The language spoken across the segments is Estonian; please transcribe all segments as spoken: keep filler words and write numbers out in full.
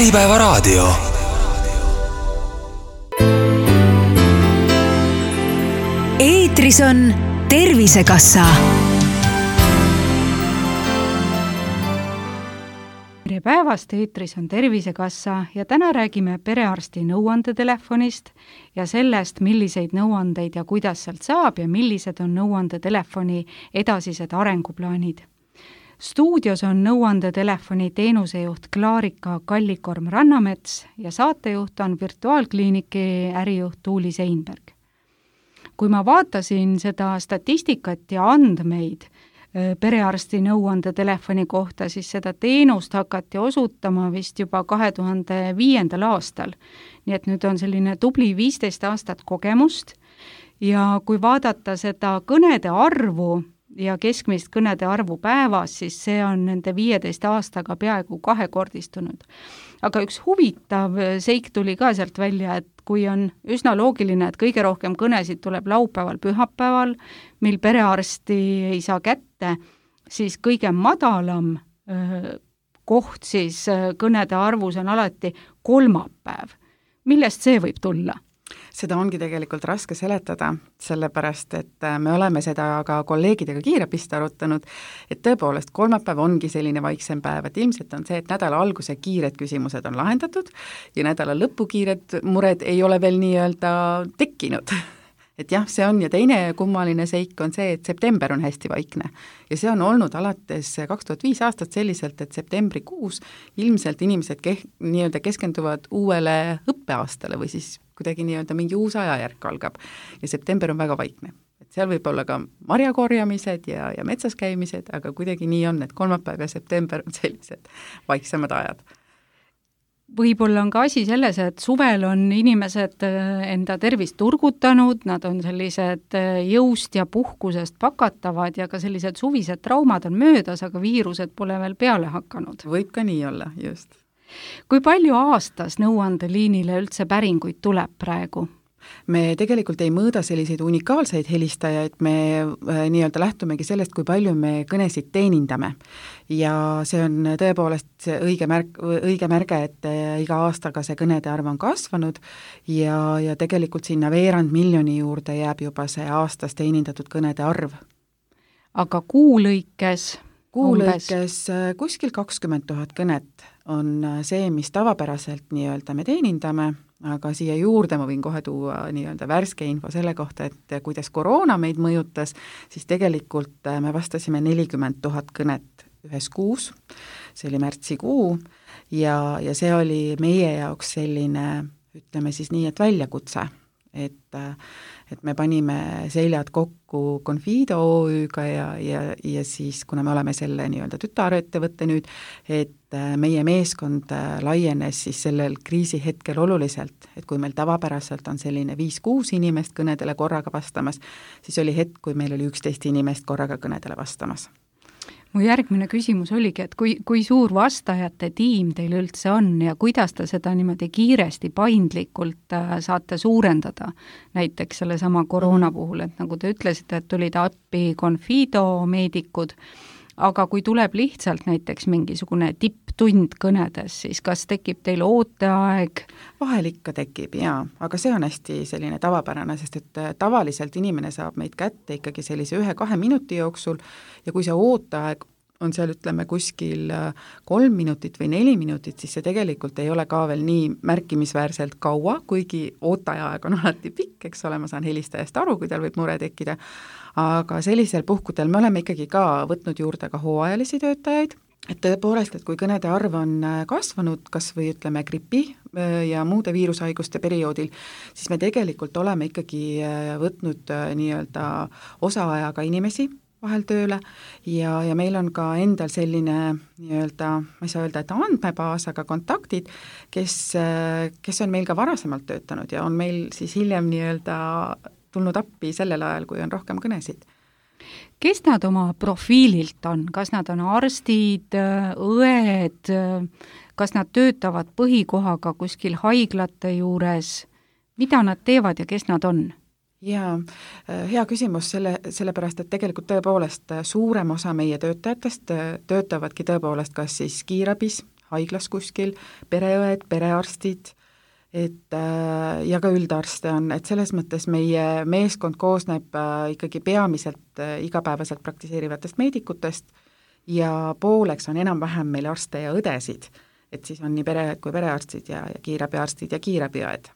Äripäevaraadio. Eetris on Tervisekassa. Tere päevast, eetris on Tervisekassa ja täna räägime perearsti nõuandetelefonist ja sellest, milliseid nõuandeid ja kuidas sealt saab ja millised on nõuandetelefoni edasised arenguplaanid. Stuudios on nõuandetelefoni teenusejuht Klaarika Kallikorm-Rannamets ja saatejuht on virtuaalkliiniki ärijuht Tuuli Seinberg. Kui ma vaatasin seda statistikat ja andmeid perearsti nõuandetelefoni kohta, siis seda teenust hakati osutama vist juba kahe tuhande viiendal aastal. Nii et nüüd on selline tubli viisteist aastat kogemust ja kui vaadata seda kõnede arvu ja keskmist kõnede arvu päevas, siis see on nende viieteist aastaga peaaegu kahekordistunud. Aga üks huvitav seik tuli ka sealt välja, et kui on üsna loogiline, et kõige rohkem kõnesid tuleb laupäeval, pühapäeval, mil perearsti ei saa kätte, siis kõige madalam öö, koht siis kõnede arvus on alati kolmapäev. Millest see võib tulla? Seda ongi tegelikult raske seletada, sellepärast, et me oleme seda ka kolleegidega kiirabist arutanud, et tõepoolest kolmapäev ongi selline vaiksem päev, et ilmselt on see, et nädala alguse kiired küsimused on lahendatud ja nädala lõpu kiired mured ei ole veel nii-öelda tekkinud. Et jah, see on ja teine kummaline seik on see, et september on hästi vaikne ja see on olnud alates kaks tuhat viis aastat selliselt, et septembrikuus ilmselt inimesed ke- nii-öelda keskenduvad uuele õppeaastale või siis kuidagi nii-öelda mingi uus ajajärk algab ja september on väga vaikne. Et seal võib olla ka marjakorjamised ja, ja metsas käimised, aga kuidagi nii on, et kolmapäev ja september on sellised vaiksemad ajad. Võib-olla on ka asi selles, et suvel on inimesed enda tervist turgutanud, nad on sellised jõust ja puhkusest pakatavad ja ka sellised suvised traumad on möödas, aga viirused pole veel peale hakanud. Võib ka nii olla, just. Kui palju aastas nõuandeliinile üldse päringuid tuleb praegu? Me tegelikult ei mõõda selliseid unikaalseid helistajaid, me äh, nii-öelda lähtumegi sellest, kui palju me kõnesid teenindame. Ja see on tõepoolest see õige, märk, õige märge, et äh, iga aastaga see kõnede arv on kasvanud ja, ja tegelikult sinna veerand miljoni juurde jääb juba see aastas teenindatud kõnede arv. Aga kuulõikes? Kuulõikes kuskil kakskümmend tuhat kõnet on see, mis tavapäraselt nii-öelda me teenindame, aga siia juurde ma võin kohe tuua nii-öelda värske info selle kohta, et kuidas koroona meid mõjutas, siis tegelikult me vastasime nelikümmend tuhat kõnet ühes kuus, see oli märtsikuu ja, ja see oli meie jaoks selline, ütleme siis nii, et väljakutse, et, et me panime seljad kokku Confido O Ü-ga ja, ja, ja siis, kuna me oleme selle nii-öelda tütarettevõtte nüüd, et meie meeskond laienes siis sellel kriisihetkel oluliselt, et kui meil tavapäraselt on selline viis-kuus inimest kõnedele korraga vastamas, siis oli hetk, kui meil oli üksteist inimest korraga kõnedele vastamas. Mu järgmine küsimus oligi, et kui, kui suur vastajate tiim teil üldse on ja kuidas te seda niimoodi kiiresti, paindlikult saate suurendada, näiteks selle sama koroona puhul, et nagu te ütlesite, et tulid appi Confido meedikud, aga kui tuleb lihtsalt näiteks mingisugune tipptund kõnedes, siis kas tekib teil ooteaeg? Vahel ikka tekib, jaa, aga see on hästi selline tavapärane, sest et tavaliselt inimene saab meid kätte ikkagi sellise ühe-kahe minuti jooksul ja kui see ooteaeg on seal, ütleme, kuskil kolm minutit või neli minutit, siis see tegelikult ei ole ka veel nii märkimisväärselt kaua, kuigi ootajaeg on alati pikk, eks ole, ma saan helistajast aru, kui tal võib mure tekkida, aga sellisel puhkudel me oleme ikkagi ka võtnud juurde ka hooajalisi töötajaid, et tõepoolest, et kui kõnede arv on kasvanud, kas või ütleme gripi ja muude viirushaiguste perioodil, siis me tegelikult oleme ikkagi võtnud nii-öelda osaajaga inimesi vahel tööle ja, ja meil on ka endal selline nii-öelda, ma ei saa öelda, et andmebaas, aga kontaktid, kes, kes on meil ka varasemalt töötanud ja on meil siis hiljem nii-öelda tulnud appi sellel ajal, kui on rohkem kõnesid. Kes nad oma profiililt on? Kas nad on arstid, õed, kas nad töötavad põhikohaga kuskil haiglate juures? Mida nad teevad ja kes nad on? Jaa, hea küsimus selle, sellepärast, et tegelikult tõepoolest suurem osa meie töötajatest töötavadki tõepoolest kas siis kiirabis, haiglas kuskil, pereõed, perearstid, et ja ka üldarste on, et selles mõttes meie meeskond koosneb ikkagi peamiselt igapäevaselt praktiseerivatest meedikutest ja pooleks on enam-vähem meil arste ja õdesid, et siis on nii pereõed kui perearstid ja, ja kiirabiarstid ja kiirabiõed.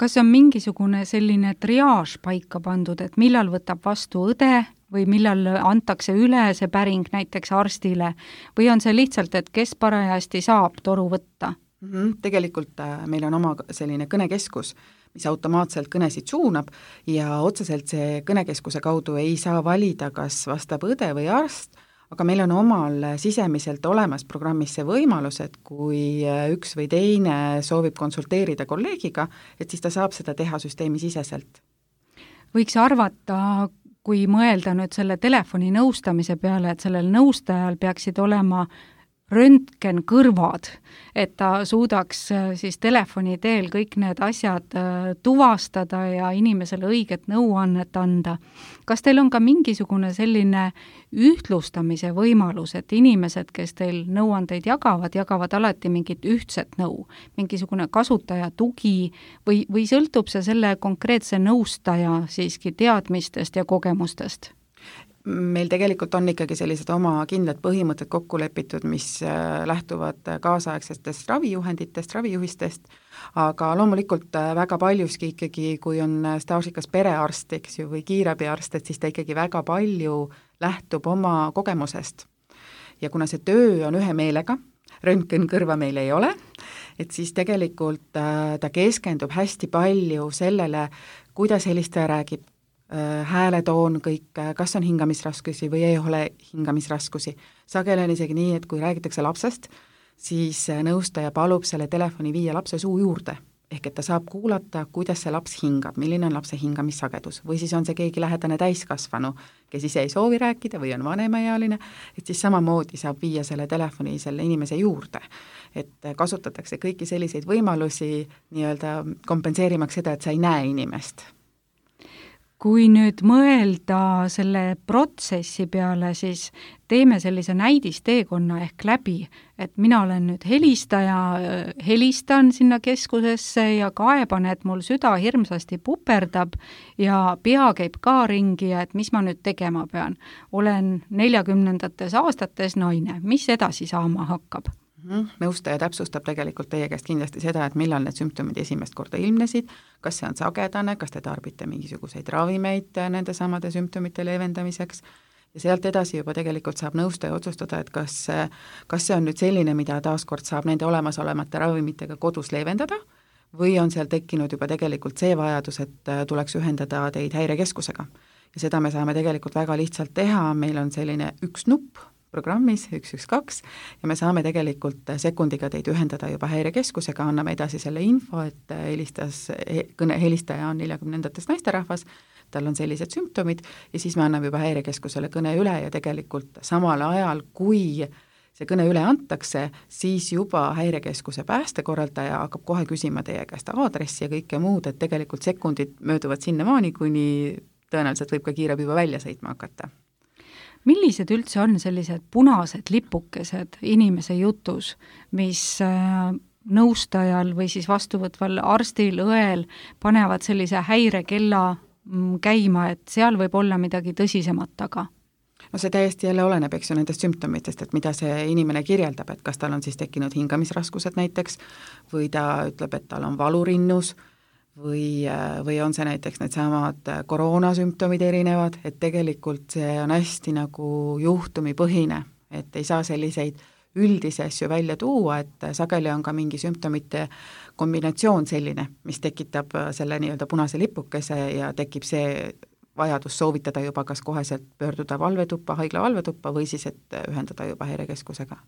Kas on mingisugune selline triaaž paika pandud, et millal võtab vastu õde või millal antakse üle see päring näiteks arstile või on see lihtsalt, et kes parajasti saab toru võtta? Mm-hmm. Tegelikult meil on oma selline kõnekeskus, mis automaatselt kõnesid suunab ja otseselt see kõnekeskuse kaudu ei saa valida, kas vastab õde või arst, aga meil on omal sisemiselt olemas programmis see võimalus, et kui üks või teine soovib konsulteerida kolleegiga, et siis ta saab seda teha süsteemi siseselt. Võiks arvata, kui mõelda nüüd selle telefoni nõustamise peale, et sellel nõustajal peaksid olema röntgen kõrvad, et ta suudaks siis telefoni teel kõik need asjad tuvastada ja inimesele õiget nõuannet anda. Kas teil on ka mingisugune selline ühtlustamise võimalus, et inimesed, kes teil nõuandeid jagavad, jagavad alati mingit ühtset nõu, mingisugune kasutaja tugi või, või sõltub see selle konkreetse nõustaja siiski teadmistest ja kogemustest? Meil tegelikult on ikkagi sellised oma kindlad põhimõtted kokku lepitud, mis lähtuvad kaasaegsetest ravijuhenditest, ravijuhistest, aga loomulikult väga paljuski ikkagi, kui on staažikas perearst, eks ju, või kiirabiarst, et siis ta ikkagi väga palju lähtub oma kogemusest. Ja kuna see töö on ühe meelega, röntgen kõrva meil ei ole, et siis tegelikult ta keskendub hästi palju sellele, kuidas helistaja räägib, hääletoon kõik, kas on hingamisraskusi või ei ole hingamisraskusi. Sageli on isegi nii, et kui räägitakse lapsest, siis nõustaja palub selle telefoni viia lapse suu juurde, ehk et ta saab kuulata, kuidas see laps hingab, milline on lapse hingamissagedus, või siis on see keegi lähedane täiskasvanu, kes ise ei soovi rääkida või on vanemaealine, et siis samamoodi saab viia selle telefoni selle inimese juurde. Et kasutatakse kõiki selliseid võimalusi nii-öelda kompenseerimaks seda, et sa ei näe inimest. Kui nüüd mõelda selle protsessi peale, siis teeme sellise näidisteekonna ehk läbi, et mina olen nüüd helistaja, helistan sinna keskusesse ja kaeban, et mul süda hirmsasti puperdab ja pea käib ka ringi, et mis ma nüüd tegema pean. Olen neljakümnendates aastates naine, mis edasi saama hakkab? Nõustaja täpsustab tegelikult teie käest kindlasti seda, et millal need sümptomid esimest korda ilmnesid, kas see on sagedane, kas te tarbite mingisuguseid ravimeid nende samade sümptomite leevendamiseks ja sealt edasi juba tegelikult saab nõustaja otsustada, et kas, kas see on nüüd selline, mida taaskord saab nende olemasolevate ravimitega kodus leevendada või on seal tekkinud juba tegelikult see vajadus, et tuleks ühendada teid häirekeskusega. Ja seda me saame tegelikult väga lihtsalt teha, meil on selline üks nupp, programmis üks üks kaks ja me saame tegelikult sekundiga teid ühendada juba häirekeskusega, anname edasi selle info, et helistas, kõne helistaja on neljakümnendates naisterahvas, tal on sellised sümptomid ja siis me anname juba häirekeskusele kõne üle ja tegelikult samal ajal, kui see kõne üle antakse, siis juba häirekeskuse päästekorraldaja hakkab kohe küsima teie käest aadressi ja kõike muud, et tegelikult sekundid mööduvad sinnamaani, kuni tõenäoliselt võib ka kiirabi juba välja sõitma hakata. Millised üldse on sellised punased lipukesed inimese jutus, mis nõustajal või siis vastuvõtval arstil, õel panevad sellise häirekella käima, et seal võib olla midagi tõsisemat taga? No see täiesti jälle oleneb, eks ju, nendest sümptomitest, et mida see inimene kirjeldab, et kas tal on siis tekkinud hingamisraskused näiteks või ta ütleb, et tal on valurinnus või, või on see näiteks need samad koroonasümptomid erinevad, et tegelikult see on hästi nagu juhtumipõhine, et ei saa selliseid üldisi asju välja tuua, et sageli on ka mingi sümptomite kombinatsioon selline, mis tekitab selle nii-öelda punase lipukese ja tekib see vajadus soovitada juba kas koheselt pöörduda valvetuppa, haigla valvetuppa või siis, et ühendada juba häirekeskusega.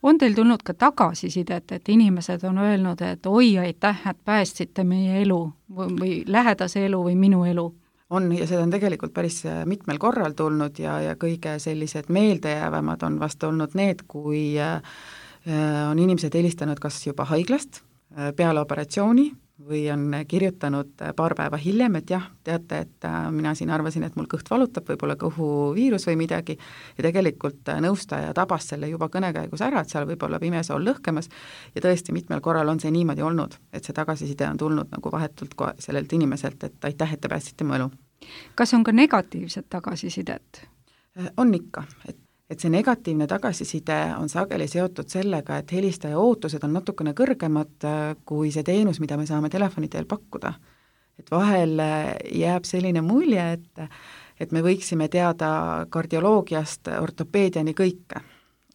On teil tulnud ka tagasisidet, et inimesed on öelnud, et oi, aitäh, et päästsite meie elu või lähedase elu või minu elu? On ja seda on tegelikult päris mitmel korral tulnud ja, ja kõige sellised meeldejäävamad on vast olnud need, kui on inimesed helistanud kas juba haiglast peale operatsiooni või on kirjutanud paar päeva hiljem, et jah, teate, et mina siin arvasin, et mul kõht valutab, võib-olla kõhuviirus või midagi, ja tegelikult nõustaja tabas selle juba kõnekäigus ära, et seal võib olla pimesool lõhkemas, ja tõesti mitmel korral on see niimoodi olnud, et see tagasiside on tulnud nagu vahetult sellelt inimeselt, et aitäh, et te päästsite mu elu. Kas on ka negatiivset tagasisidet? On ikka, et et see negatiivne tagasiside on sageli seotud sellega, et helistaja ootused on natukene kõrgemad kui see teenus, mida me saame telefoni teel pakkuda. Et vahel jääb selline mulje, et, et me võiksime teada kardioloogiast ortopeediani kõike,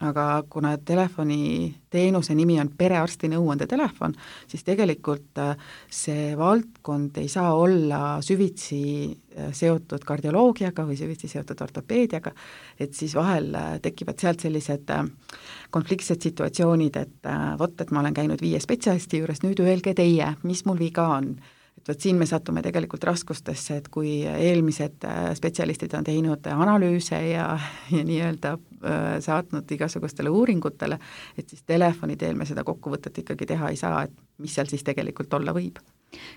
aga kuna telefoni teenuse nimi on perearsti nõuandetelefon, siis tegelikult see valdkond ei saa olla süvitsi seotud kardioloogiaga või süvitsi seotud ortopeediaga, et siis vahel tekivad sealt sellised konfliktsed situatsioonid, et vot, et ma olen käinud viie spetsialisti juures, nüüd öelge teie, mis mul viga on. Et vot siin me satume tegelikult raskustesse, et kui eelmised spetsialistid on teinud analüüse ja, ja nii-öelda saatnud igasugustele uuringutele, et siis telefoni teel me seda kokkuvõtet ikkagi teha ei saa, et mis seal siis tegelikult olla võib.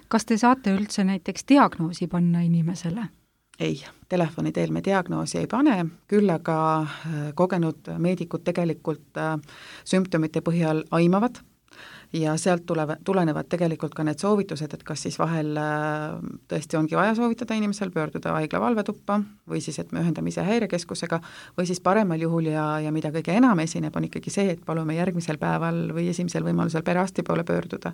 Kas te saate üldse näiteks diagnoosi panna inimesele? Ei, telefoni teel me diagnoosi ei pane, küll aga kogenud meedikud tegelikult sümptomite põhjal aimavad, ja sealt tulevad, tulenevad tegelikult ka need soovitused, et kas siis vahel tõesti ongi vaja soovitada inimesel pöörduda haigla valvetuppa või siis, et me ühendame ise häirekeskusega või siis paremal juhul ja, ja mida kõige enam esineb, on ikkagi see, et palume järgmisel päeval või esimesel võimalusel perearsti poole pöörduda.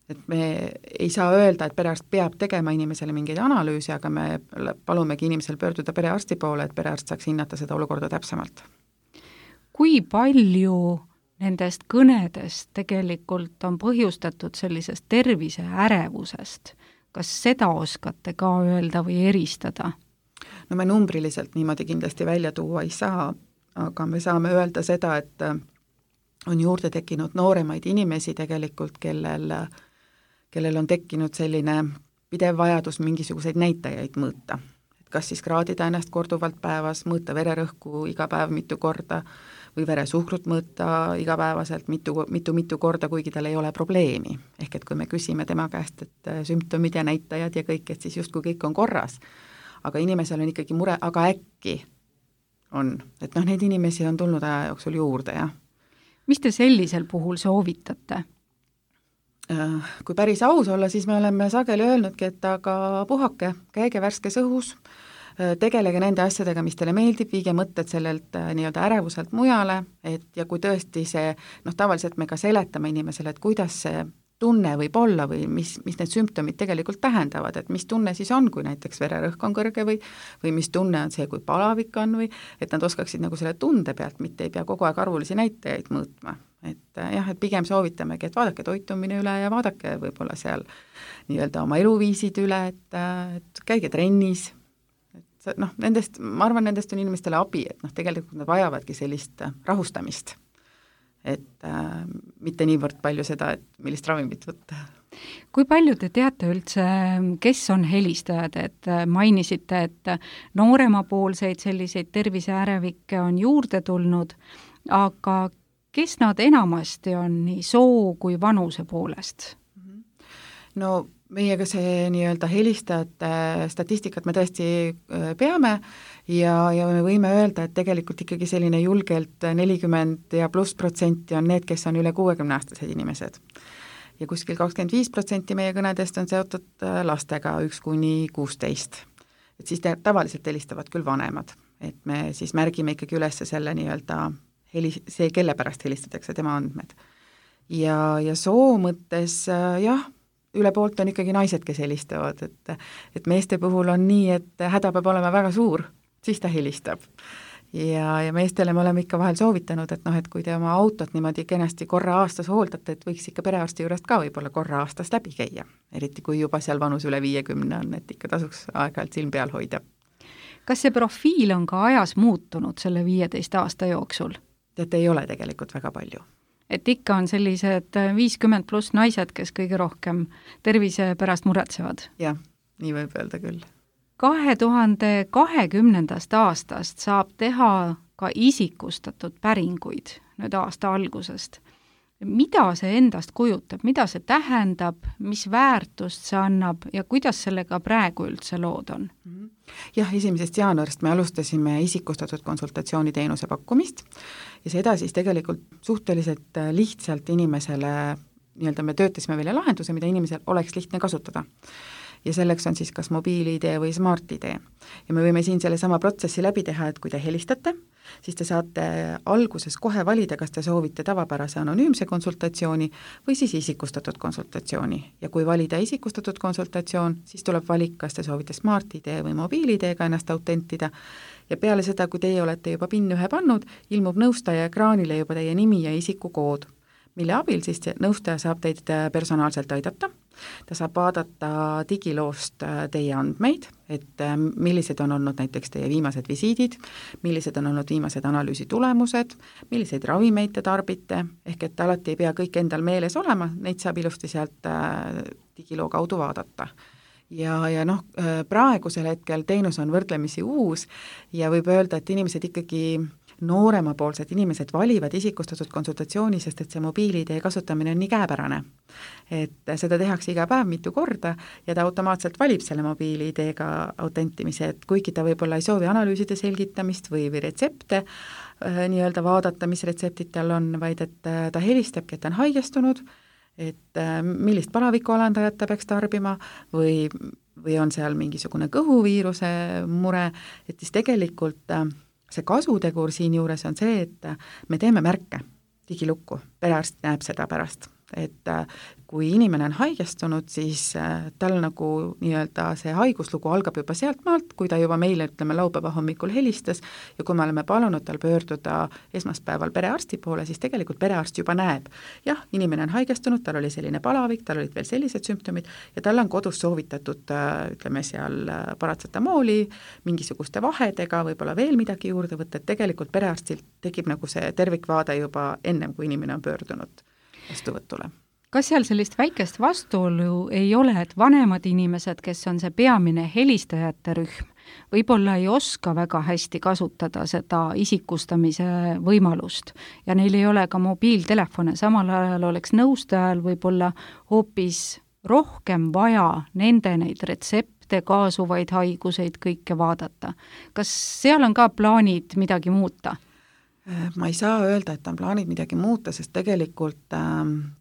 Et me ei saa öelda, et perearst peab tegema inimesele mingeid analüüsi, aga me palumegi inimesel pöörduda perearsti poole, et perearst saaks hinnata seda olukorda täpsemalt. Kui palju nendest kõnedest tegelikult on põhjustatud sellisest tervise ärevusest? Kas seda oskate ka öelda või eristada? No me numbriliselt niimoodi kindlasti välja tuua ei saa, aga me saame öelda seda, et on juurde tekkinud nooremaid inimesi tegelikult, kellel, kellel on tekkinud selline pidev vajadus mingisuguseid näitajaid mõõta. Et kas siis kraadida ennast korduvalt päevas, mõõta vererõhku iga päev mitu korda, või veresuhkrut mõõta igapäevaselt mitu, mitu, mitu korda, kuigi tal ei ole probleemi. Ehk et kui me küsime tema käest, et sümptomid ja näitajad ja kõik, et siis justkui kõik on korras. Aga inimesel on ikkagi mure, aga äkki on. Et noh, neid inimesi on tulnud aja jooksul juurde, jah. Mis te sellisel puhul soovitate? Kui päris aus olla, siis me oleme sageli öelnudki, et aga puhake, käige värskes õhus, tegelege nende asjadega, mis teile meeldib, viige mõtted sellelt nii-öelda ärevuselt mujale, et ja kui tõesti see, noh tavaliselt me ka seletame inimesele, et kuidas see tunne võib olla või mis, mis need sümptomid tegelikult tähendavad, et mis tunne siis on, kui näiteks vererõhk on kõrge või, või mis tunne on see, kui palavik on või, et nad oskaksid nagu selle tunde pealt, mitte ei pea kogu aeg arvulisi näitajaid mõõtma. Et jah, et pigem soovitamegi, et vaadake toitumine üle ja vaadake võib-olla seal nii-öelda oma eluviisid üle, et, et käige trennis, et noh, nendest, ma arvan, nendest on inimestele abi, et noh, tegelikult nad vajavadki sellist rahustamist, et äh, mitte niivõrd palju seda, et millist ravimit võtta. Kui palju te teate üldse, kes on helistajad, et mainisite, et nooremapoolseid selliseid terviseärevikke on juurde tulnud, aga kes nad enamasti on nii soo kui vanuse poolest? No meiega see nii-öelda helistajate statistikat me tõesti peame ja, ja me võime öelda, et tegelikult ikkagi selline julgelt nelikümmend ja pluss protsenti on need, kes on üle kuuekümne-aastased inimesed. Ja kuskil kakskümmend viis protsenti meie kõnedest on seotud lastega üks kuni kuusteist. Et siis te, tavaliselt helistavad küll vanemad, et me siis märgime ikkagi üles selle nii-öelda heli, see, kelle pärast helistatakse, tema andmed. Ja, ja soo mõttes jah, üle poolt on ikkagi naised, kes helistavad, et, et meeste puhul on nii, et häda peab olema väga suur, siis ta helistab. Ja, ja meestele me oleme ikka vahel soovitanud, et noh, et kui te oma autot niimoodi kenasti korra aastas hooldate, et võiks ikka perearsti juurest ka võib-olla korra aastas läbi käia, eriti kui juba seal vanus üle viiekümne on, et ikka tasuks aeg-ajalt silm peal hoida. Kas see profiil on ka ajas muutunud selle viieteist aasta jooksul? Teate, ei ole tegelikult väga palju. Et ikka on sellised viiskümmend pluss naised, kes kõige rohkem tervise pärast muretsevad. Jah, nii võib öelda küll. kahe tuhande kahekümnendast aastast saab teha ka isikustatud päringuid nüüd aasta algusest. mida see endast kujutab, mida see tähendab, mis väärtust see annab ja kuidas sellega praegu üldse lood on? Jah, esimesest jaanuarist me alustasime isikustatud konsultatsiooniteenuse pakkumist ja seda siis tegelikult suhteliselt lihtsalt inimesele, nii-öelda me töötasime välja lahenduse, mida inimesel oleks lihtne kasutada. Ja selleks on siis kas mobiil-I D või Smart-I D. Ja me võime siin selle sama protsessi läbi teha, et kui te helistate, siis te saate alguses kohe valida, kas te soovite tavapärase anonüümse konsultatsiooni või siis isikustatud konsultatsiooni. Ja kui valida isikustatud konsultatsioon, siis tuleb valik, kas te soovite Smart-I D või mobiil-I D-ga ennast autentida. Ja peale seda, kui teie olete juba PIN ühe pannud, ilmub nõustaja ekraanile juba teie nimi ja isikukood, mille abil siis nõustaja saab teid personaalselt aidata. Ta saab vaadata digiloost teie andmeid, et millised on olnud näiteks teie viimased visiidid, millised on olnud viimased analüüsi tulemused, milliseid ravimeid te tarbite, ehk et alati ei pea kõik endal meeles olema, neid saab ilusti sealt digiloo kaudu vaadata. Ja, ja noh, praegusel hetkel teenus on võrdlemisi uus ja võib öelda, et inimesed ikkagi nooremapoolsed inimesed valivad isikustatud konsultatsiooni, sest et see mobiil-I D kasutamine on nii käepärane. Et seda tehakse iga päev mitu korda ja ta automaatselt valib selle mobiil-I D-ga autentimise, et kuigi ta võib-olla ei soovi analüüside selgitamist või, või retsepte äh, nii-öelda vaadata, mis retseptid tal on, vaid et äh, ta helistabki, et ta on haigestunud, et äh, millist palavikualandajat ta peaks tarbima või, või on seal mingisugune kõhuviiruse mure, et siis tegelikult äh, see kasutegur siin juures on see, et me teeme märke digilukku, perearst näeb seda pärast, et kui inimene on haigestunud, siis tal nagu nii-öelda see haiguslugu algab juba sealt maalt, kui ta juba meile, ütleme, laupäeva hommikul helistas ja kui me oleme palunud tal pöörduda esmaspäeval perearsti poole, siis tegelikult perearst juba näeb. Jah, inimene on haigestunud, tal oli selline palavik, tal olid veel sellised sümptomid ja tal on kodus soovitatud, ütleme seal paratsetamooli, mingisuguste vahedega, võib-olla veel midagi juurde võtta, et tegelikult perearstilt tekib nagu see tervikvaade juba ennem, kui inimene on pöördunud vastuvõtule. Kas seal sellist väikest vastuolu ei ole, et vanemad inimesed, kes on see peamine helistajate rühm, võib-olla ei oska väga hästi kasutada seda isikustamise võimalust ja neil ei ole ka mobiiltelefone, samal ajal oleks nõustajal võib-olla hoopis rohkem vaja nende neid retsepte, kaasuvaid haiguseid kõike vaadata. Kas seal on ka plaanid midagi muuta? Ma ei saa öelda, et on plaanid midagi muuta, sest tegelikult äh,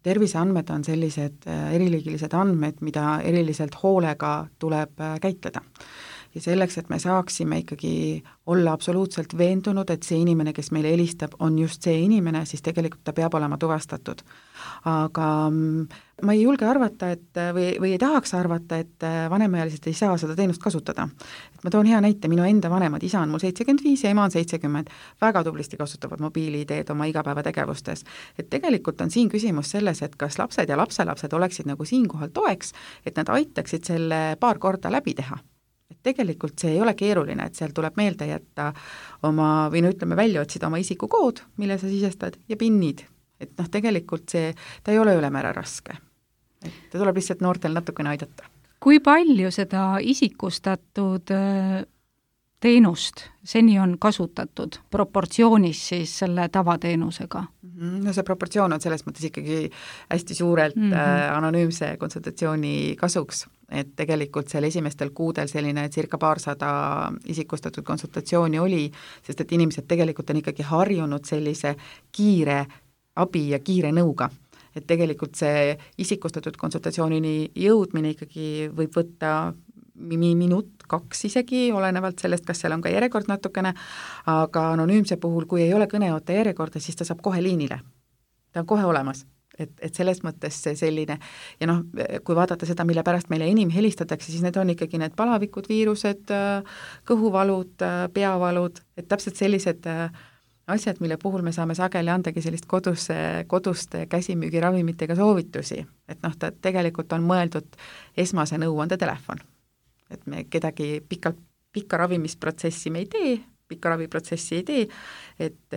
terviseandmed on sellised äh, eriliigilised andmed, mida eriliselt hoolega tuleb äh, käitleda. Ja selleks, et me saaksime ikkagi olla absoluutselt veendunud, et see inimene, kes meile helistab, on just see inimene, siis tegelikult ta peab olema tuvastatud. Aga ma ei julge arvata, et, või, või ei tahaks arvata, et vanemaealised ei saa seda teenust kasutada. Et ma toon hea näite, minu enda vanemad, isa on mul seitsekümmend viis ja ema on seitsekümmend, väga tublisti kasutavad mobiil-I D-d oma igapäevategevustes. Et tegelikult on siin küsimus selles, et kas lapsed ja lapselapsed oleksid nagu siinkohal toeks, et nad aitaksid selle paar korda läbi teha. Et tegelikult see ei ole keeruline, et seal tuleb meelde jätta oma, või no ütleme välja otsida oma isikukood, mille sa sisestad ja pinnid. Et noh, tegelikult see, ta ei ole ülemäära raske. Et ta tuleb lihtsalt noortel natukene aidata. Kui palju seda isikustatud teenust seni on kasutatud proportsioonis siis selle tavateenusega? No see proportsioon on selles mõttes ikkagi hästi suurelt mm -hmm. anonüümse konsultatsiooni kasuks, et tegelikult seal esimestel kuudel selline circa paarsada isikustatud konsultatsiooni oli, sest et inimesed tegelikult on ikkagi harjunud sellise kiire abi ja kiire nõuga. Et tegelikult see isikustatud konsultatsioonini jõudmine ikkagi võib võtta minut, kaks isegi, olenevalt sellest, kas seal on ka järjekord natukene, aga anonüümse puhul, kui ei ole kõneoota järjekorda, siis ta saab kohe liinile. Ta on kohe olemas. Et, et selles mõttes see selline, ja noh, kui vaadata seda, mille pärast meile enim helistatakse, siis need on ikkagi need palavikud, viirused, kõhuvalud, peavalud, et täpselt sellised asjad, mille puhul me saame sageli andagi sellist kodus, koduste käsimüügiravimitega soovitusi. Et noh, ta tegelikult on mõeldud esmase nõuande telefon. Et me kedagi pikalt, pikka ravimisprotsessi me ei tee, pikka raviprotsessi ei tee, et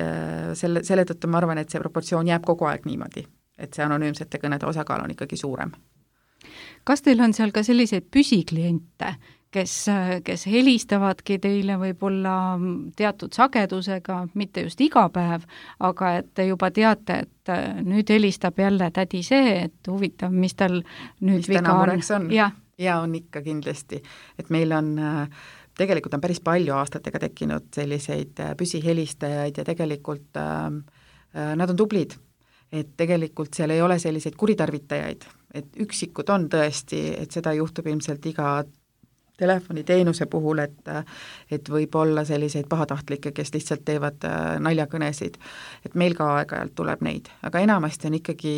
selle, selle tõttu ma arvan, et see proportsioon jääb kogu aeg niimoodi, et see anonüümsete kõnede osakaal on ikkagi suurem. Kas teil on seal ka selliseid püsikliente, kes, kes helistavadki teile võib-olla teatud sagedusega, mitte just iga päev, aga et te juba teate, et nüüd helistab jälle tädi see, et huvitav, mis tal nüüd mis viga on. on. Ja. ja on ikka kindlasti, et meil on tegelikult on päris palju aastatega tekkinud selliseid püsihelistajaid ja tegelikult äh, nad on tublid, et tegelikult seal ei ole selliseid kuritarvitajaid, et üksikud on tõesti, et seda juhtub ilmselt iga telefoniteenuse puhul, et, et võib olla selliseid pahatahtlikke, kes lihtsalt teevad naljakõnesid, et meil ka aeg-ajalt tuleb neid, aga enamasti on ikkagi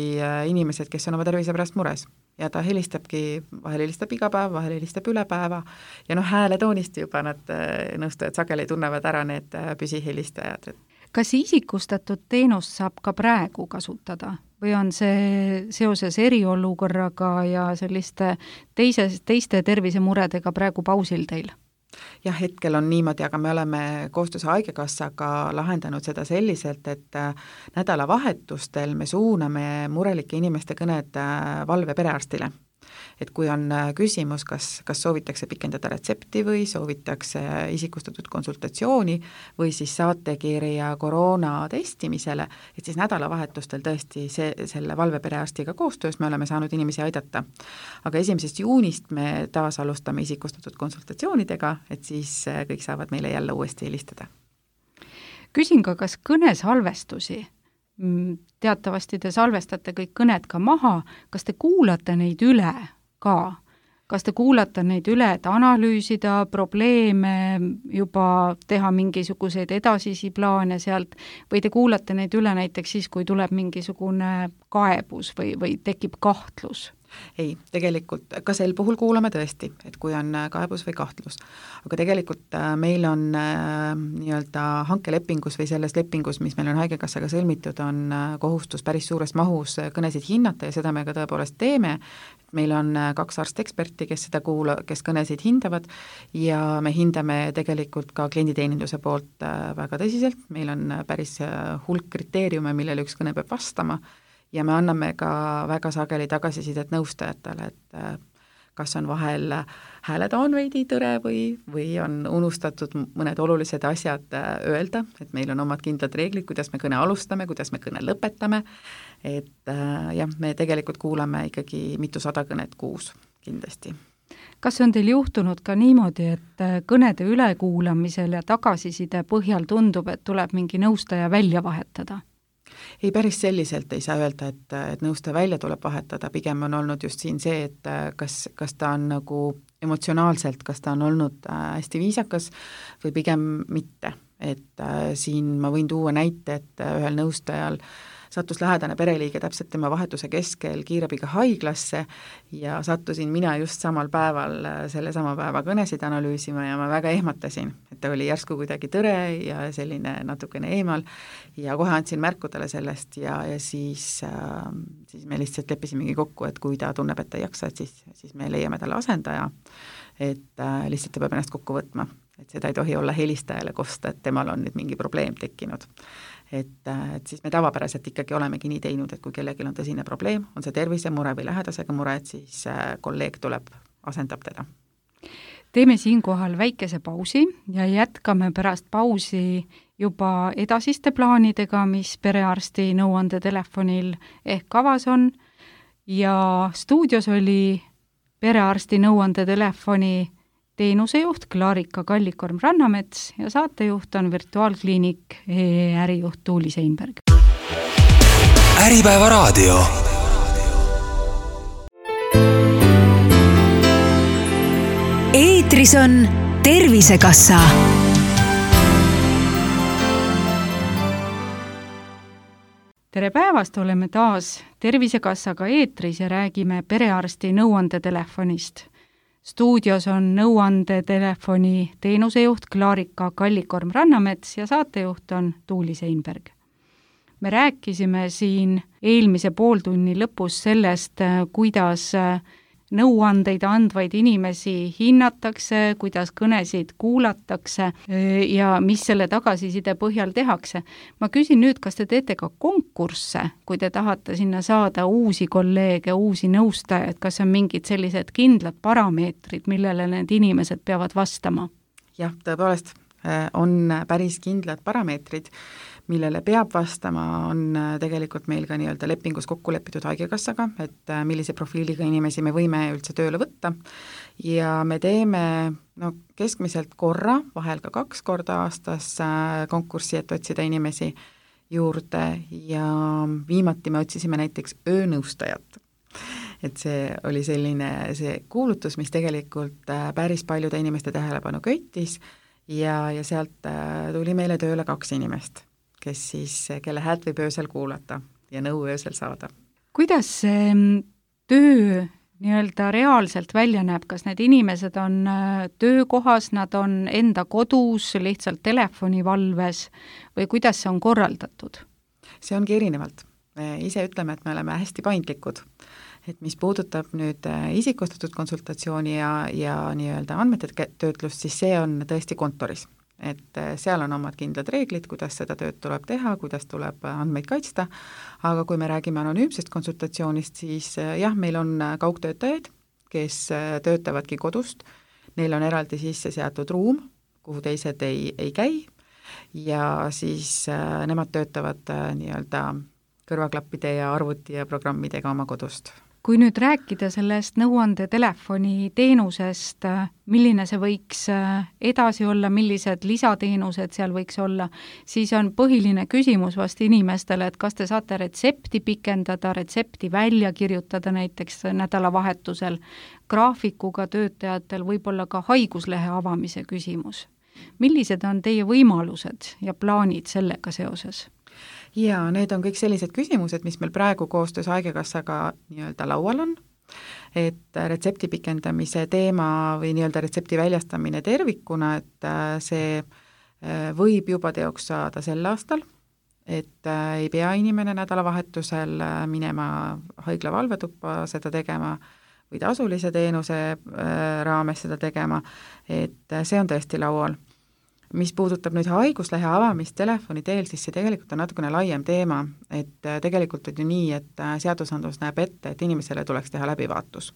inimesed, kes on oma tervise pärast mures ja ta helistabki, vahel helistab iga päev, vahel helistab üle päeva ja noh, hääletoonist juba nad nõustajad sageli tunnevad ära need püsihelistajad. Kas isikustatud teenust saab ka praegu kasutada? Või on see seoses eriolukorraga ja selliste teise, teiste tervisemuredega praegu pausil teil? Jah, hetkel on niimoodi, aga me oleme koostöös Haigekassaga lahendanud seda selliselt, et nädalavahetustel me suuname murelike inimeste kõned valve perearstile. Et kui on küsimus, kas, kas soovitakse pikendada retsepti või soovitakse isikustatud konsultatsiooni või siis saatekirja koroona testimisele, et siis nädalavahetustel tõesti see, selle valveperearstiga koostöös me oleme saanud inimesi aidata. Aga esimesest juunist me taas alustame isikustatud konsultatsioonidega, et siis kõik saavad meile jälle uuesti helistada. Küsin ka, kas kõnesalvestusi? Teatavasti te salvestate kõik kõned ka maha, kas te kuulate neid üle ka? Kas te kuulate neid üle, et analüüsida probleeme, juba teha mingisuguseid edasisi plaane sealt, või te kuulate neid üle näiteks siis, kui tuleb mingisugune kaebus või, või tekib kahtlus? Ei, tegelikult ka sel puhul kuulame tõesti, et kui on kaebus või kahtlus. Aga tegelikult meil on äh, nii-öelda hankelepingus või selles lepingus, mis meil on Haigekassaga sõlmitud, on kohustus päris suures mahus kõnesid hinnata ja seda me ka tõepoolest teeme. Meil on kaks arsteksperti, kes seda kuula, kes kõnesid hindavad ja me hindame tegelikult ka klienditeeninduse poolt väga tõsiselt. Meil on päris hulk kriteeriume, millele üks kõne peab vastama. Ja me anname ka väga sageli tagasisidet nõustajatele, et kas on vahel hääletoon veidi tõre või, või on unustatud mõned olulised asjad öelda, et meil on omad kindlad reeglid, kuidas me kõne alustame, kuidas me kõne lõpetame, et jah, me tegelikult kuulame ikkagi mitusada kõnet kuus kindlasti. Kas on teil juhtunud ka niimoodi, et kõnede ülekuulamisel ja tagasiside põhjal tundub, et tuleb mingi nõustaja välja vahetada? Ei, päris selliselt ei saa öelda, et, et nõustaja välja tuleb vahetada, pigem on olnud just siin see, et kas, kas ta on nagu emotsionaalselt, kas ta on olnud hästi viisakas või pigem mitte, et siin ma võin tuua näite, et ühel nõustajal sattus lähedane pereliige täpselt tema vahetuse keskel kiirabiga haiglasse ja sattusin mina just samal päeval selle sama päeva kõnesid analüüsima ja ma väga ehmatasin, et ta oli järsku kuidagi tõre ja selline natukene eemal ja kohe andsin märku talle sellest ja, ja siis, äh, siis me lihtsalt leppisimegi kokku, et kui ta tunneb, et ta ei jaksa, et siis, siis me leiame talle asendaja, et äh, lihtsalt ta peab ennast kokku võtma, et seda ei tohi olla helistajale kosta, et temal on nüüd mingi probleem tekkinud. Et, et siis me tavapäraselt ikkagi olemegi nii teinud, et kui kellelgi on tõsine probleem, on see tervisemure või lähedasega mure, et siis kolleeg tuleb, asendab teda. Teeme siinkohal väikese pausi ja jätkame pärast pausi juba edasiste plaanidega, mis perearsti nõuandetelefonil ehk kavas on ja stuudios oli perearsti nõuandetelefoni teenusejuht Klarika Kallikorm-Rannamets ja saatejuht on virtuaalkliinik ärijuht Tuuli Seinberg. Äripäeva raadio. Eetris on Tervisekassa. Tere päevast, oleme taas Tervisekassaga eetris ja räägime perearsti nõuandetelefonist. Stuudios on nõuandetelefoni teenusejuht Klarika Kallikorm-Rannamets ja saatejuht on Tuuli Seinberg. Me rääkisime siin eelmise pooltunni lõpus sellest, kuidas nõuandeid andvaid inimesi hinnatakse, kuidas kõnesid kuulatakse ja mis selle tagasiside põhjal tehakse. Ma küsin nüüd, kas te teete ka konkursse, kui te tahate sinna saada uusi kolleege, uusi nõustajaid, kas on mingid sellised kindlad parameetrid, millele need inimesed peavad vastama? Jah, tõepoolest on päris kindlad parameetrid, millele peab vastama, on tegelikult meil ka nii-öelda lepingus kokku lepitud haigekassaga, et millise profiiliga inimesi me võime üldse tööle võtta ja me teeme no, keskmiselt korra, vahel ka kaks korda aastas konkurssi, et otsida inimesi juurde ja viimati me otsisime näiteks öönõustajat. Et see oli selline see kuulutus, mis tegelikult päris paljude inimeste tähelepanu köitis ja, ja sealt tuli meile tööle kaks inimest, kes siis, kelle häält võib öösel kuulata ja nõu öösel saada. Kuidas see töö nii-öelda reaalselt välja näeb, kas need inimesed on töökohas, nad on enda kodus, lihtsalt telefonivalves või kuidas see on korraldatud? See ongi erinevalt. Me ise ütleme, et me oleme hästi paindlikud. Et mis puudutab nüüd isikustatud konsultatsiooni ja, ja nii-öelda andmete töötlust, siis see on tõesti kontoris. Et seal on omad kindlad reeglid, kuidas seda tööd tuleb teha, kuidas tuleb andmeid kaitsta, aga kui me räägime anonüümsest konsultatsioonist, siis jah, meil on kaugtöötajaid, kes töötavadki kodust, neil on eraldi sisse seatud ruum, kuhu teised ei, ei käi ja siis nemad töötavad nii-öelda kõrvaklappide ja arvuti ja programmidega oma kodust. Kui nüüd rääkida sellest nõuandetelefoni teenusest, milline see võiks edasi olla, millised lisateenused seal võiks olla, siis on põhiline küsimus vast inimestele, et kas te saate retsepti pikendada, retsepti välja kirjutada näiteks nädalavahetusel, graafikuga töötajatel võib-olla ka haiguslehe avamise küsimus. Millised on teie võimalused ja plaanid sellega seoses? Ja need on kõik sellised küsimused, mis meil praegu koostöös haigekassaga nii-öelda laual on, et retsepti pikendamise teema või nii-öelda retsepti väljastamine tervikuna, et see võib juba teoks saada sel aastal, et ei pea inimene nädalavahetusel minema haigla valvetuppa seda tegema või tasulise teenuse raames seda tegema, et see on tõesti laual. Mis puudutab nüüd haiguslehe avamist telefoni teel, siis see tegelikult on natukene laiem teema, et tegelikult on ju nii, et seadusandlus näeb ette, et inimesele tuleks teha läbivaatus.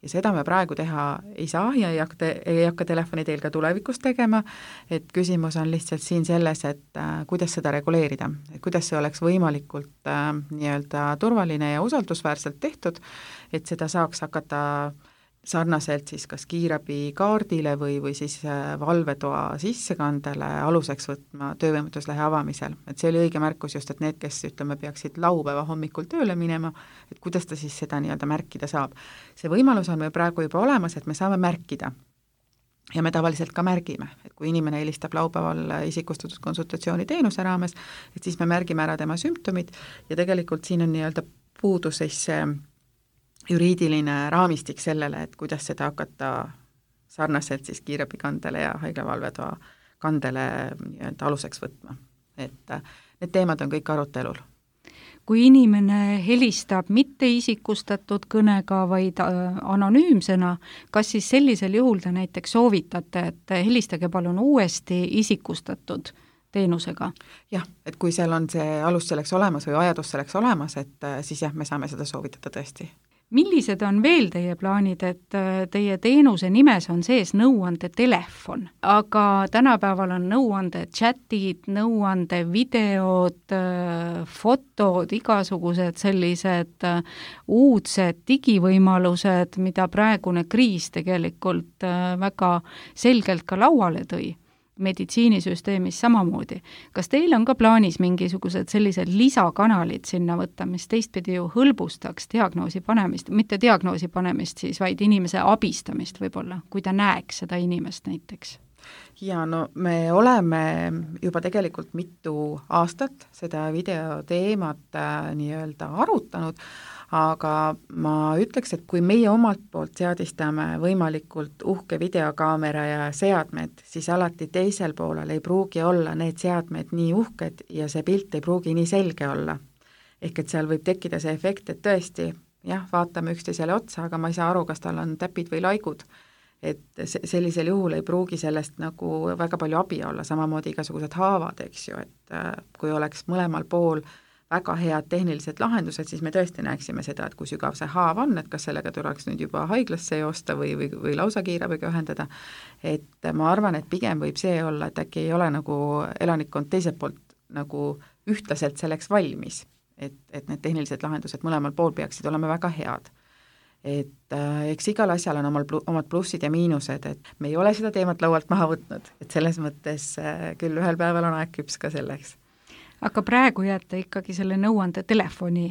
Ja seda me praegu teha ei saa ja ei hakka, ei hakka telefoni teel ka tulevikus tegema, et küsimus on lihtsalt siin selles, et kuidas seda reguleerida, et kuidas see oleks võimalikult äh, nii-öelda turvaline ja usaldusväärselt tehtud, et seda saaks hakata sarnaselt siis kas kiirabi kaardile või, või siis valvetoa sissekandele aluseks võtma töövõimetuslehe avamisel. Et see oli õige märkus just, et need, kes ütleme, peaksid laupäeva hommikul tööle minema, et kuidas ta siis seda nii-öelda märkida saab. See võimalus on meil praegu juba olemas, et me saame märkida. Ja me tavaliselt ka märgime, et kui inimene helistab laupäeval isikustatud konsultatsiooni teenuse raames, et siis me märgime ära tema sümptomid ja tegelikult siin on nii-öelda puudu siis see juriidiline raamistik sellele, et kuidas seda hakata sarnaselt siis kiirabikandele ja haiglavalvetoa kandele nii-öelda aluseks võtma. Et need teemad on kõik arutelul. Kui inimene helistab mitte isikustatud kõnega, vaid anonüümsena, kas siis sellisel juhul te näiteks soovitate, et helistage palun uuesti isikustatud teenusega? Jah, et kui seal on see alus selleks olemas või vajadus selleks olemas, et siis jah, me saame seda soovitada tõesti. Millised on veel teie plaanid, et teie teenuse nimes on sees nõuande telefon, aga tänapäeval on nõuande chatid, nõuande videod, fotod, igasugused sellised uudsed digivõimalused, mida praegune kriis tegelikult väga selgelt ka lauale tõi. Meditsiinisüsteemis samamoodi. Kas teil on ka plaanis mingisugused sellised lisakanalid sinna võtta, mis teistpidi ju hõlbustaks diagnoosi panemist, mitte diagnoosi panemist siis, vaid inimese abistamist võib-olla, kui ta näeks seda inimest näiteks? Ja no me oleme juba tegelikult mitu aastat seda videoteemat äh, nii-öelda arutanud, aga ma ütleks, et kui meie omalt poolt seadistame võimalikult uhke videokaamera ja seadmed, siis alati teisel poolel ei pruugi olla need seadmed nii uhked ja see pilt ei pruugi nii selge olla. Ehk et seal võib tekkida see efekt, et tõesti jah, vaatame üksteisele otsa, aga ma ei saa aru, kas tal on täpid või laigud. Et sellisel juhul ei pruugi sellest nagu väga palju abi olla, samamoodi igasugused haavad, eks ju, et kui oleks mõlemal pool väga head tehnilised lahendused, siis me tõesti näeksime seda, et kui sügav see haav on, et kas sellega tuleks nüüd juba haiglasse joosta või, või, või lausa kiirabiga ühendada, et ma arvan, et pigem võib see olla, et äkki ei ole nagu elanikkond teiselt poolt nagu ühtlaselt selleks valmis, et, et need tehnilised lahendused mõlemal pool peaksid olema väga head. Et äh, eks igal asjal on omal, omad plussid ja miinused, et me ei ole seda teemat laualt maha võtnud, et selles mõttes äh, küll ühel päeval on aeg küps ka selleks. Aga praegu jääte ikkagi selle nõuande telefoni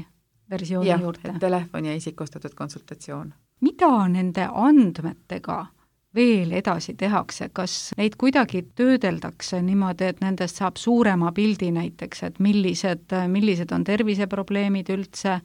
versiooni ja, juurde? jah, telefon ja isikustatud konsultatsioon. Mida nende andmetega veel edasi tehakse, kas neid kuidagi töödeldakse niimoodi, et nendest saab suurema pildi näiteks, et millised, millised on terviseprobleemid üldse,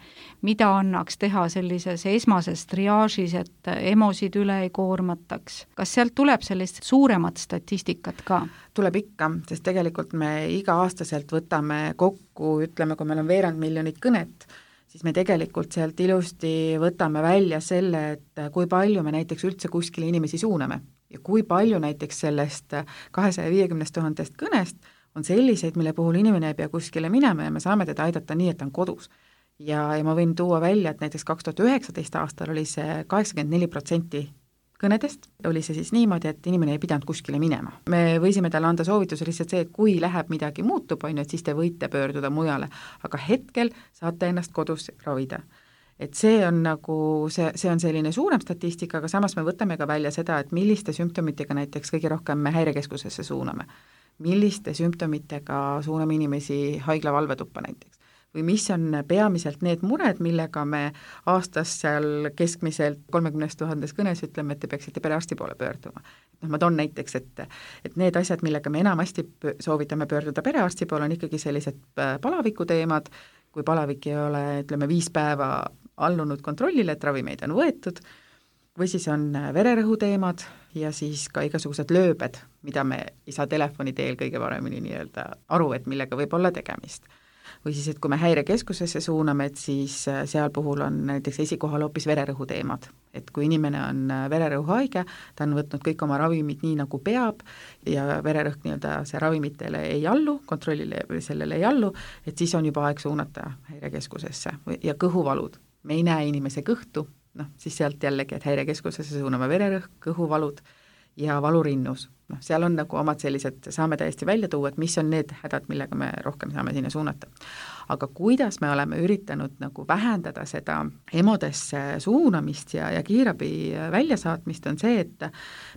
mida annaks teha sellises esmases triaažis, et emosid üle ei koormataks. Kas sealt tuleb sellist suuremat statistikat ka? Tuleb ikka, sest tegelikult me iga-aastaselt võtame kokku, ütleme, kui meil on veerand miljonit kõnet, siis me tegelikult sealt ilusti võtame välja selle, et kui palju me näiteks üldse kuskile inimesi suuname ja kui palju näiteks sellest kahesaja viiekümnest tuhandest kõnest on selliseid, mille puhul inimene ei pea kuskile minema ja me saame teda aidata nii, et ta on kodus. Ja, ja ma võin tuua välja, et näiteks kaks tuhat üheksateist aastal oli see kaheksakümmend neli protsenti kõnedest, oli see siis niimoodi, et inimene ei pidanud kuskile minema. Me võisime talle anda soovituse lihtsalt see, et kui läheb midagi muutub, on ju, et siis te võite pöörduda mujale, aga hetkel saate ennast kodus ravida. Et see on nagu, see, see on selline suurem statistika, aga samas me võtame ka välja seda, et milliste sümptomitega näiteks kõige rohkem me häirekeskusesse suuname. Milliste sümptomitega suuname inimesi haigla valvetuppa näiteks. Või mis on peamiselt need mured, millega me aastas seal keskmiselt kolmekümnest tuhandes kõnes ütleme, et te peaksite perearsti poole pöörduma. No, ma toon näiteks, et, et need asjad, millega me enamasti soovitame pöörduda perearsti poole, on ikkagi sellised palaviku teemad, kui palavik ei ole, ütleme, viis päeva allunud kontrollile, et ravimeid on võetud, või siis on vererõhu teemad ja siis ka igasugused lööbed, mida me ei saa telefoni teel kõige paremini nii-öelda aru, et millega võib olla tegemist. Või siis, et kui me häirekeskusesse suuname, et siis seal puhul on näiteks esikohal hoopis vererõhu teemad. Et kui inimene on vererõhu haige, ta on võtnud kõik oma ravimid nii, nagu peab ja vererõhk nii-öelda see ravimitele ei allu, kontrollile sellele ei allu, et siis on juba aeg suunata häirekeskusesse ja kõhuvalud. Me ei näe inimese kõhtu, noh, siis sealt jällegi, et häirekeskusesse suuname vererõhk, kõhuvalud ja valurinnus. Noh, seal on nagu omad sellised, saame täiesti välja tuua, et mis on need hädad, millega me rohkem saame sinna suunata. Aga kuidas me oleme üritanud nagu vähendada seda emodesse suunamist ja, ja kiirabi väljasaatmist, on see, et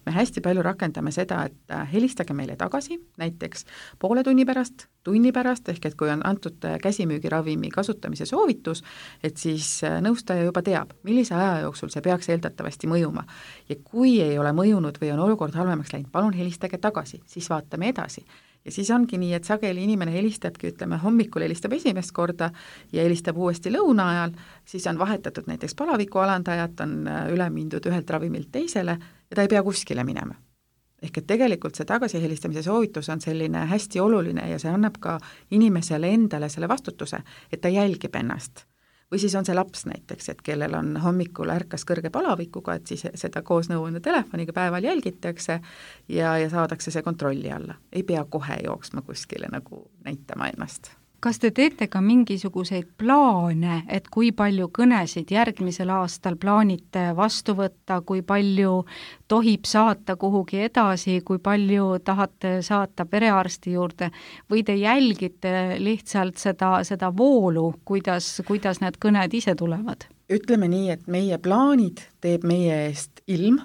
me hästi palju rakendame seda, et helistage meile tagasi, näiteks poole tunni pärast, tunni pärast, ehk et kui on antud käsimüügiravimi kasutamise soovitus, et siis nõustaja juba teab, millise aja jooksul see peaks eeldatavasti mõjuma. Ja kui ei ole mõjunud või on olukord halvemaks läinud, palun helistage tagasi, siis vaatame edasi. Ja siis ongi nii, et sageli inimene helistabki, ütleme, hommikul helistab esimest korda ja helistab uuesti lõuna ajal, siis on vahetatud näiteks palaviku alandajat, on üle mindud ühelt ravimilt teisele ja ta ei pea kuskile minema. Ehk et tegelikult see tagasihelistamise soovitus on selline hästi oluline ja see annab ka inimesele endale selle vastutuse, et ta jälgib ennast. Või siis on see laps näiteks, et kellel on hommikul ärkas kõrge palavikuga, et siis seda koos nõuande telefoniga päeval jälgitakse ja, ja saadakse see kontrolli alla. Ei pea kohe jooksma kuskile nagu näitama ennast. Kas te teete ka mingisuguseid plaane, et kui palju kõnesid järgmisel aastal plaanite vastu võtta, kui palju tohib saata kuhugi edasi, kui palju tahate saata perearsti juurde või te jälgite lihtsalt seda, seda voolu, kuidas, kuidas need kõned ise tulevad? Ütleme nii, et meie plaanid teeb meie eest ilm,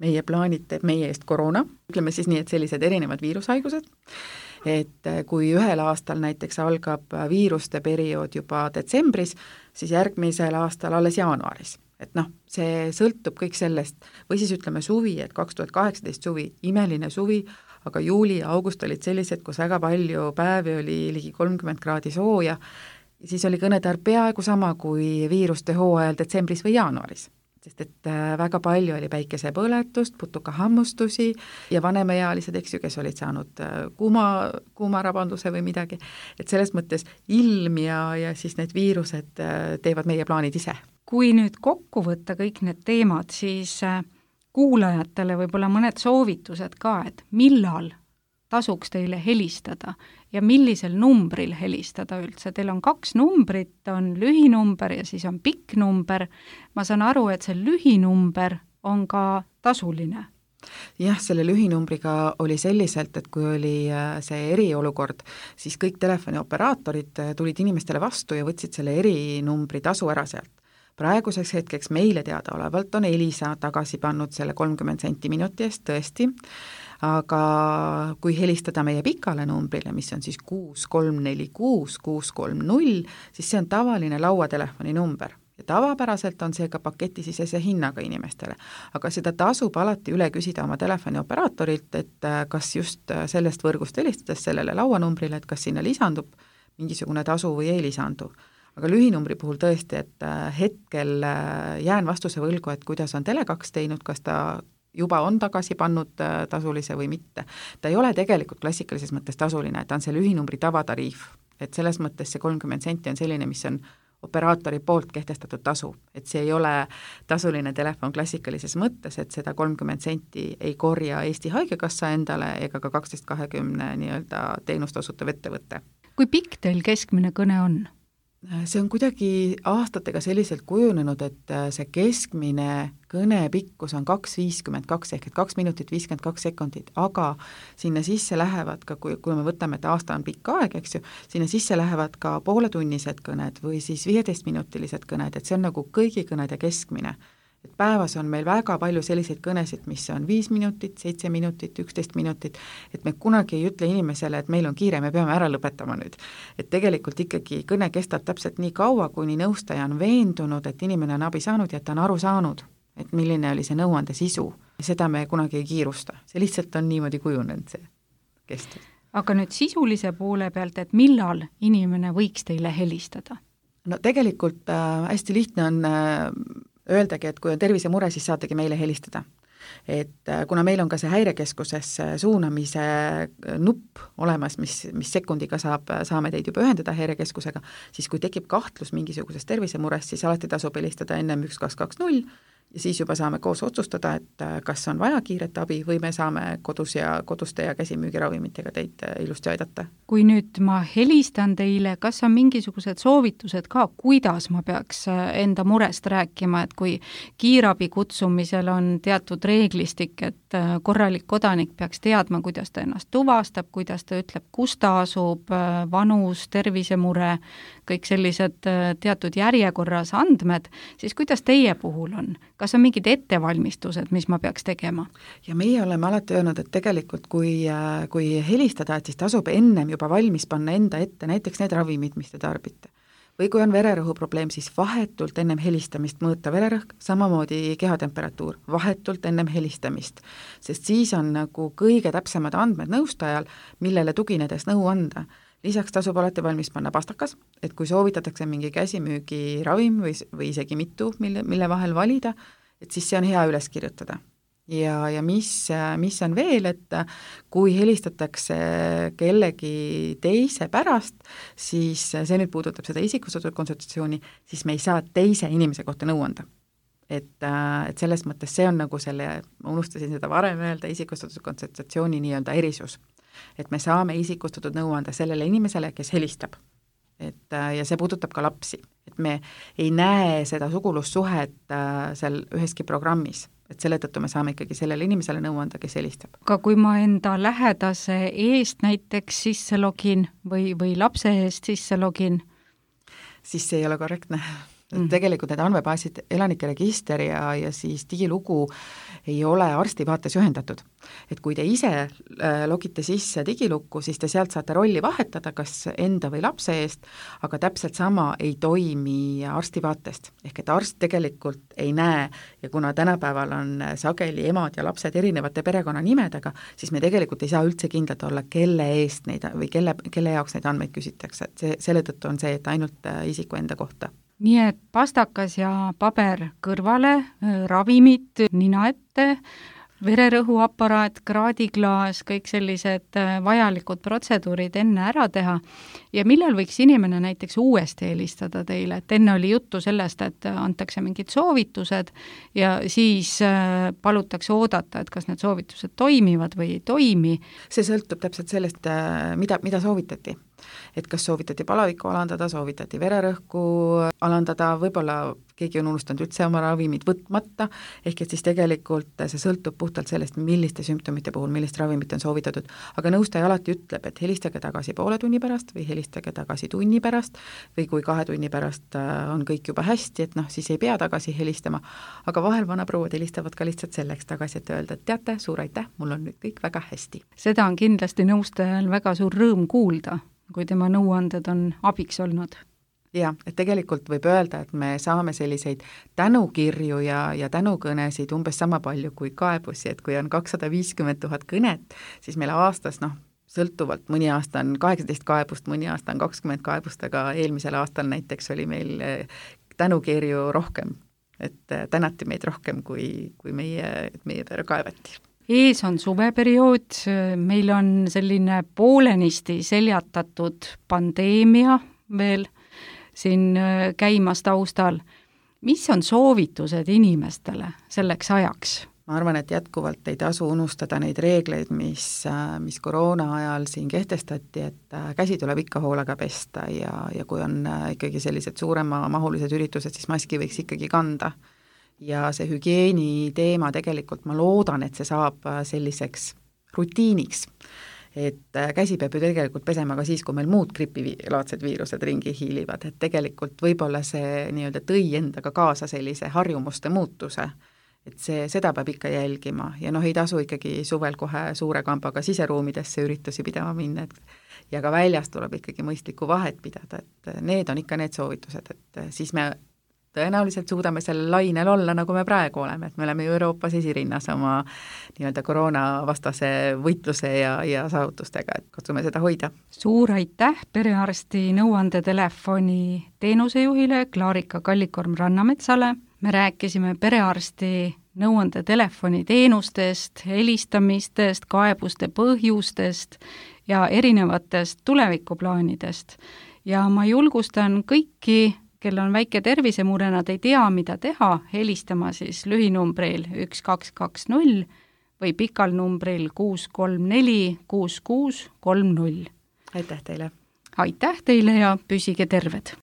meie plaanid teeb meie eest koroona, ütleme siis nii, et sellised erinevad viirushaigused, et kui ühel aastal näiteks algab viiruste periood juba detsembris, siis järgmisel aastal alles jaanuaris. Et noh, see sõltub kõik sellest, või siis ütleme suvi, et kaks tuhat kaheksateist suvi, imeline suvi, aga juuli ja august olid sellised, kus väga palju päevi oli ligi kolmkümmend kraadi sooja, siis oli kõnetarv peaaegu sama kui viiruste hooajal detsembris või jaanuaris. Sest et väga palju oli päikesepõletust, putukahammustusi ja vanemaealised, eks ju, kes olid saanud kuuma, kuumarabanduse või midagi. Et selles mõttes ilm ja, ja siis need viirused teevad meie plaanid ise. kui nüüd kokku võtta kõik need teemad, siis kuulajatele võib-olla mõned soovitused ka, et millal tasuks teile helistada ja millisel numbril helistada üldse. Teil on kaks numbrit, on lühinumber ja siis on pikk number. Ma saan aru, et see lühinumber on ka tasuline. Jah, selle lühinumbriga oli selliselt, et kui oli see eriolukord, siis kõik telefonioperaatorid tulid inimestele vastu ja võtsid selle erinumbri tasu ära sealt. Praeguseks hetkeks meile teada olevalt on Elisa tagasi pannud selle kolmkümmend senti minuti eest tõesti, aga kui helistada meie pikale numbrile, mis on siis kuus kolm neli kuus kuus kolm null, siis see on tavaline lauatelefoni number. Ja tavapäraselt on see ka paketisisese hinnaga inimestele, aga seda tasub alati üle küsida oma telefonioperatorilt, et kas just sellest võrgust helistades sellele lauanumbrile, et kas sinna lisandub mingisugune tasu või ei lisandu. Aga lühinumbri puhul tõesti, et hetkel jään vastuse võlgu, et kuidas on Tele kaks teinud, kas ta juba on tagasi pannud tasulise või mitte. Ta ei ole tegelikult klassikalises mõttes tasuline, et ta on see lühinumbri tavatariif, et selles mõttes see kolmkümmend senti on selline, mis on operaatori poolt kehtestatud tasu, et see ei ole tasuline telefon klassikalises mõttes, et seda kolmkümmend senti ei korja Eesti Haigekassa endale ega ka kaksteist kahekümne nii-öelda teenust osutav ettevõte. Kui pikk teil keskmine kõne on? See on kuidagi aastatega selliselt kujunenud, et see keskmine kõne pikkus on kaks viiskümmend kaks ehk et kaks minutit viiskümmend kaks sekundit, aga sinna sisse lähevad ka, kui, kui me võtame, et aasta on pikk aeg, eks ju, sinna sisse lähevad ka pooletunnised kõned või siis viieteistminutilised kõned, et see on nagu kõigi kõnede keskmine. Et päevas on meil väga palju selliseid kõnesid, mis on viis minutit, seitse minutit, üksteist minutit, et me kunagi ei ütle inimesele, et meil on kiire, me peame ära lõpetama nüüd. Et tegelikult ikkagi kõne kestab täpselt nii kaua, kuni nõustaja on veendunud, et inimene on abi saanud ja et ta on aru saanud, et milline oli see nõuande sisu. Seda me kunagi ei kiirusta, see lihtsalt on niimoodi kujunenud see kestab. Aga nüüd sisulise poole pealt, et millal inimene võiks teile helistada? No tegelikult äh, hästi lihtne on äh, öeldagi, et kui on tervisemure, siis saategi meile helistada. Et kuna meil on ka see häirekeskuses suunamise nupp olemas, mis, mis sekundiga saab, saame teid juba ühendada häirekeskusega, siis kui tekib kahtlus mingisugusest tervisemurest, siis alati tasub helistada ennem üks kaks kaks null ja siis juba saame koos otsustada, et kas on vaja kiiret abi või me saame kodus ja koduste ja käsimüügiravimitega teid ilusti aidata. Kui nüüd ma helistan teile, kas on mingisugused soovitused ka, kuidas ma peaks enda murest rääkima, et kui kiirabi kutsumisel on teatud reeglistik, et korralik kodanik peaks teadma, kuidas ta ennast tuvastab, kuidas ta ütleb, kus ta asub, vanus, tervisemure, kõik sellised teatud järjekorras andmed, siis kuidas teie puhul on? Kas on mingid ettevalmistused, mis ma peaks tegema? Ja meie oleme alati öelnud, et tegelikult kui, kui helistada, et siis tasub ennem juba valmis panna enda ette näiteks need ravimid, mis te tarbite. Või kui on vererõhu probleem, siis vahetult ennem helistamist mõõta vererõhk, samamoodi kehatemperatuur, vahetult ennem helistamist, sest siis on nagu kõige täpsemad andmed nõustajal, millele tuginedes nõu anda. Lisaks tasub alati valmis panna pastakas, et kui soovitatakse mingi käsimüügiravim või, või isegi mitu, mille, mille vahel valida, et siis see on hea üles kirjutada. Ja, ja mis, mis on veel, et kui helistatakse kellegi teise pärast, siis see nüüd puudutab seda isikustatud konsultatsiooni, siis me ei saa teise inimese kohta nõu anda. Et, et selles mõttes see on nagu selle, ma unustasin seda varem öelda, isikustatud konsultatsiooni nii-öelda erisus. Et me saame isikustatud nõu anda sellele inimesele, kes helistab. Et, ja see puudutab ka lapsi. Et me ei näe seda sugulussuhet seal üheski programmis. Et selle tõttu me saame ikkagi sellele inimesele nõu anda, kes helistab. Aga kui ma enda lähedase eest näiteks sisse login või, või lapse eest sisse login? Siis see ei ole korrektne. Mm. Tegelikult need andmebaasid, elanike register ja, ja siis digilugu ei ole arsti vaates ühendatud. Et kui te ise logite sisse digilukku, siis te sealt saate rolli vahetada, kas enda või lapse eest, aga täpselt sama ei toimi arsti vaatest. Ehk et arst tegelikult ei näe ja kuna tänapäeval on sageli emad ja lapsed erinevate perekonnanimedega, siis me tegelikult ei saa üldse kindlalt olla, kelle eest neid või kelle, kelle jaoks neid andmeid küsitakse. Et see, selle tõttu on see, et ainult isiku enda kohta. Nii et pastakas ja paber kõrvale, ravimid nina ette, vererõhuaparaat, kraadiklaas, kõik sellised vajalikud protseduurid enne ära teha ja millal võiks inimene näiteks uuesti helistada teile, et enne oli juttu sellest, et antakse mingid soovitused ja siis palutakse oodata, et kas need soovitused toimivad või ei toimi. See sõltub täpselt sellest, mida, mida soovitati. Et kas soovitati palavikku alandada, soovitati vererõhku alandada, võib-olla keegi on unustanud üldse oma ravimid võtmata, ehk et siis tegelikult see sõltub puhtalt sellest, milliste sümptomite puhul, millist ravimit on soovitatud, aga nõustaja alati ütleb, et helistage tagasi poole tunni pärast või helistage tagasi tunni pärast või kui kahe tunni pärast on kõik juba hästi, et noh, siis ei pea tagasi helistama, aga vahel vanaprouad helistavad ka lihtsalt selleks tagasi, et öelda, et teate, suur aitäh, mul on nüüd kõik väga hästi. Seda on kindlasti nõustajal väga suur rõõm kuulda, kui tema nõuanded on abiks olnud. Jah, et tegelikult võib öelda, et me saame selliseid tänukirju ja, ja tänukõnesid umbes sama palju kui kaebusi, et kui on kakssada viiskümmend tuhat kõnet, siis meil aastas, noh, sõltuvalt, mõni aasta on kaheksateist kaebust, mõni aasta on kakskümmend kaebust, aga eelmisel aastal näiteks oli meil tänukirju rohkem, et tänati meid rohkem, kui, kui meie, meie peale kaevati. Ees on suveperiood, meil on selline poolenisti seljatatud pandeemia veel siin käimas taustal. Mis on soovitused inimestele selleks ajaks? Ma arvan, et jätkuvalt ei tasu unustada neid reegleid, mis, mis koroona ajal siin kehtestati, et käsi tuleb ikka hoolega pesta ja, ja kui on ikkagi sellised suurema mahulised üritused, siis maski võiks ikkagi kanda. Ja see hügieeni teema tegelikult ma loodan, et see saab selliseks rutiiniks, et käsi peab ju tegelikult pesema ka siis, kui meil muud gripilaadsed viirused ringi hiilivad, et tegelikult võib-olla see nii-öelda tõi endaga kaasa sellise harjumuste muutuse, et see, seda peab ikka jälgima ja noh, ei tasu ikkagi suvel kohe suure kambaga siseruumidesse üritusi pidama minna, et ja ka väljas tuleb ikkagi mõistlikku vahet pidada, et need on ikka need soovitused, et siis me tõenäoliselt suudame sellel lainel olla, nagu me praegu oleme, et me oleme ju Euroopas esirinnas oma nii-öelda koroonavastase võitluse ja, ja saavutustega, et katsume seda hoida. Suur aitäh perearsti nõuandetelefoni teenusejuhile Klaarika Kallikorm-Rannametsale. Me rääkisime perearsti nõuandetelefoni teenustest, helistamistest, kaebuste põhjustest ja erinevatest tulevikuplaanidest. Ja ma julgustan kõiki, kel on väike tervisemure, nad ei tea, mida teha, helistama siis lühinumbril üks kaks kaks null või pikal numbril kuus kolm neli kuus kuus kolm null. Aitäh teile! Aitäh teile ja püsige terved!